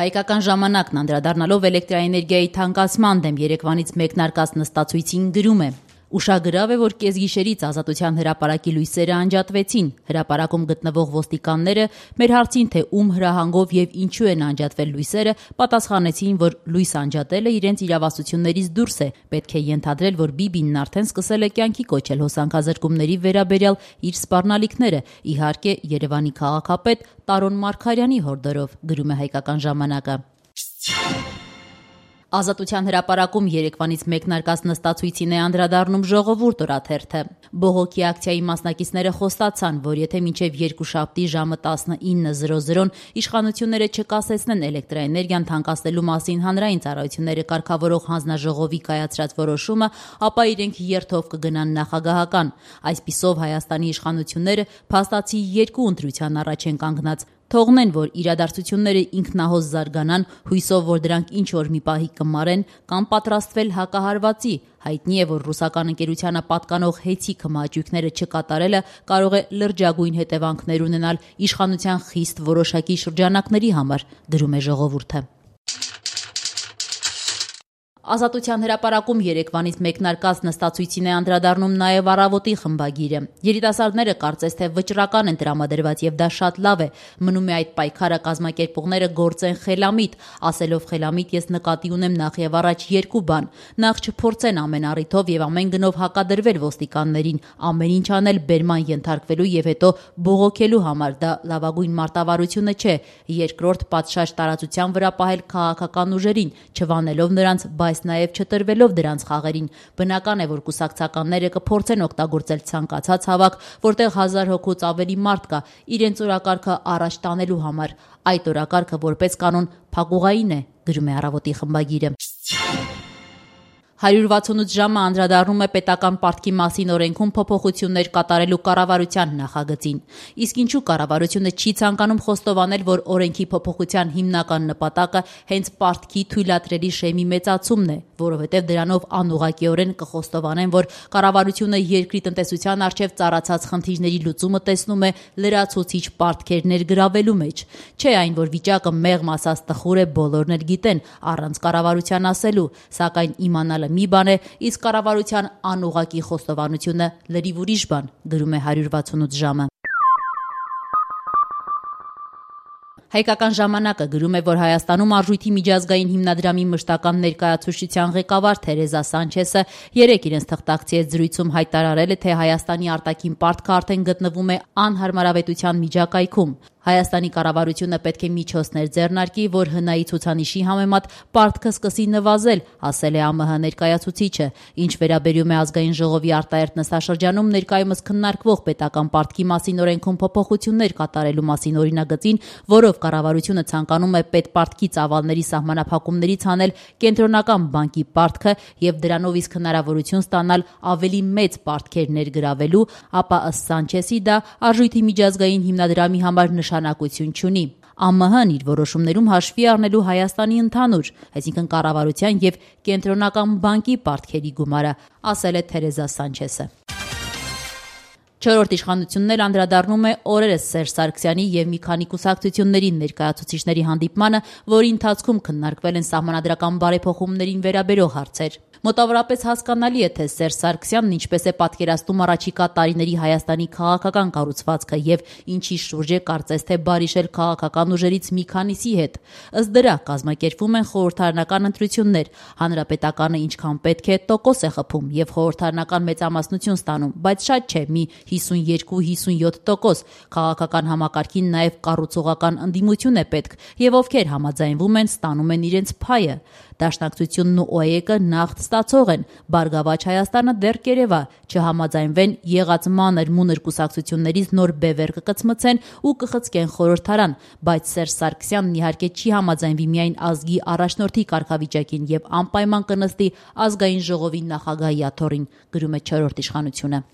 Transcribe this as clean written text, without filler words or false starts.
Հայկական ժամանակն անդրադառնալով էլեկտրաէներգիայի թանկացման դեմ երեկվանից մեկնարկած նստածույցին գրում է. «Ուշագրավ է, որ կեսգիշերից Ազատության հրապարակի լույսերը անջատվեցին։ Հրապարակում գտնվող ոստիկանները մեր հարցին, թե ում հրահանգով եւ ինչու են անջատվել լույսերը, պատասխանեցին, որ լույս անջատելը իրենց իրավասություններից դուրս է։ Պետք է ենթադրել, որ Բիբինն արդեն սկսել է կյանքի կոչել հոսանքազրկումների վերաբերյալ իր սպառնալիքները, իհարկե Երևանի քաղաքապետ Տարոն Մարգարյանի հորդորով», գրում է Հայկական ժամանակը։ Ազատության հրապարակում երեկվանից մեկնարկած նստածույցին է անդրադառնում Ժողովուրդ օրաթերթը։ Բողոքի ակցիայի մասնակիցները խոստացան, որ եթե մինչև երկուշաբթի ժամը 19:00 իշխանությունները չկասեցնեն էլեկտրաէներգիան թանկացնելու մասին հանրային ծառայությունները կարգավորող հանձնաժողովի կայացրած որոշումը, ապա իրենք երթով կգնան նախագահական։ Այսպիսով Հայաստանի իշխանությունները փաստացի երկու ընտրության առաջ են կանգնած։ Թողնեն, որ իրադարձությունները ինքնահոս զարգանան, հույսով, որ դրանք ինչ-որ մի պահի կմարեն, կամ պատրաստվել հակահարվածի։ Հայտնի է, որ ռուսական ընկերությանը պատկանող հեծիկ հմաճույքները չկատարելը կարող է լրջագույն հետևանքներ ունենալ իշխանության խիստ որոշակի շրջանակների համար, գրում է Ժողովուրդը։ Ազատության հրապարակում երեկվանից մեկնարկած նստածույցին է անդրադառնում նաև Առավոտի խմբագիրը։ Երիտասարդները կարծես թե վճռական են տրամադրված եւ դա շատ լավ է։ Մնում է այդ պայքարը կազմակերպողները գործեն խելամիտ, ասելով խելամիտ ես նկատի ունեմ նախ եւ առաջ երկու բան։ Նախ չփորձեն ամեն առիթով եւ ամեն գնով հակադրվել ոստիկաններին, ամեն ինչ անել բերման ենթարկվելու եւ հետո բողոքելու համար, դա լավագույն մարտավարությունը չէ։ Երկրորդ, պատշաճ տարածության վրա պահել քաղաքական ուժերին, չվանելով նրանց, բայց նաև չտրվելով դրանց խաղերին։ Բնական է, որ կուսակցականները կփորձեն օգտագործել ցանկացած հավաք, որտեղ 1000 հոգուց ավելի մարդ կա, իրենց օրակարգը առաջ տանելու համար։ Այդ օրակարգը որպես կանոն փակուղային է, գրում է Առավոտի խմբագիրը։ 168 ժամը անդրադառնում է պետական պարտքի մասին օրենքում փոփոխություններ կատարելու կառավարության նախագծին։ Իսկ ինչու կառավարությունը չի ցանկանում խոստովանել, որ օրենքի փոփոխության հիմնական նպատակը հենց պարտքի թույլատրելի շեմի մեծացումն է, որովհետև դրանով անուղղակիորեն կխոստովանեն, որ կառավարությունը երկրի տնտեսության առջև ծառացած խնդիրների լուծումը տեսնում է լրացուցիչ պարտքեր ներգրավելու մեջ։ Չէ այն, որ վիճակը մեղմ ասած տխուր է, բոլորն էլ գիտեն, առանց կառավարության ասելու, սակայն իմանալը մի բան է, իսկ կառավարության անուղղակի խոստովանությունը լրիվ ուրիշ բան, գրում է 168 ժամը։ Հայկական ժամանակը գրում է, որ Հայաստանում Արժույթի միջազգային հիմնադրամի մշտական ներկայացուցչության ղեկավար Թերեզա Սանչեսը երեկ իրենց թղթակցի հետ զրույցում հայտարարել է, թե Հայաստանի արտաքին պարտքը արդեն գտնվում է անհարմարավետության միջակայքում։ Հայաստանի կառավարությունը պետք է միջոցներ ձեռնարկի, որ ՀՆԱ-ի ցուցանիշի համեմատ պարտքը սկսի նվազել, ասել է ԱՄՀ ներկայացուցիչը։ Ինչ վերաբերում է ազգային ժողովի արտահերթ նստաշրջանում ներկայումս քննարկվող պետական պարտքի մասին օրենքում փոփոխություններ կատարելու մասին օրինագծին, որով կառավարությունը ցանկանում է պետպարտքի ծավալների սահմանափակումներից հանել կենտրոնական բանկի պարտքը եւ դրանով իսկ հնարավորություն ստանալ ավելի մեծ պարտքեր ներգրավելու, ապա ըստ Սանչեսի դա Արժույթի միջազգային հիմնադրամի համար նշանակություն չունի։ ԱՄՀ-ն իր որոշումներում հաշվի առնելու Հայաստանի ընդհանուր, այսինքն կառավարության եւ կենտրոնական բանկի պարտքերի գումարը, ասել է Թերեզա Սանչեսը։ Չորրորդ իշխանությունն էլ անդրադառնում է օրերս Սերժ Սարգսյանի եւ մի քանի կուսակցությունների ներկայացուցիչների հանդիպմանը, որի ընթացքում քննարկվել են սահմանադրական բարեփոխումներին վերաբերող հարցեր։ Մոտավորապես հասկանալի է, թե Սերժ Սարգսյանն ինչպես է պատկերացնում առաջիկա տարիների Հայաստանի քաղաքական կառուցվածքը եւ ինչի շուրջ է կարծես թե բարիշել քաղաքական ուժերից մի քանիսի հետ։ Ըստ դրա կազմակերպվում են խորհրդարանական ընտրություններ, հանրապետականը ինչքան պետք է տոկոս է խփում եւ խորհրդարանական մեծամասնություն ստանում, բայց շատ չէ, մի 52-57%։ Քաղաքական համակարգին նաեւ կառուցողական ընդդիմություն է պետք եւ ովքեր համաձայնվում են, ստանում են իրենց փայը։ Դաշնակցությունն ու ՕԵԿ-ը նախ ստացող են, Բարգավաճ Հայաստանը դեռ կերևա, չհամաձայնվեն եղած մանր-մունր կուսակցություններից նոր բևեռ կկծմցեն ու կխցկեն խորհրդարան, բայց Սերժ Սարգսյանն իհարկե չի համաձայնվի միայն ազգի առաջնորդի կարգավիճակին եւ անպայման կնստի ազգային ժողովի նախագահի աթոռին, գրում է Չորրորդ իշխանությունը։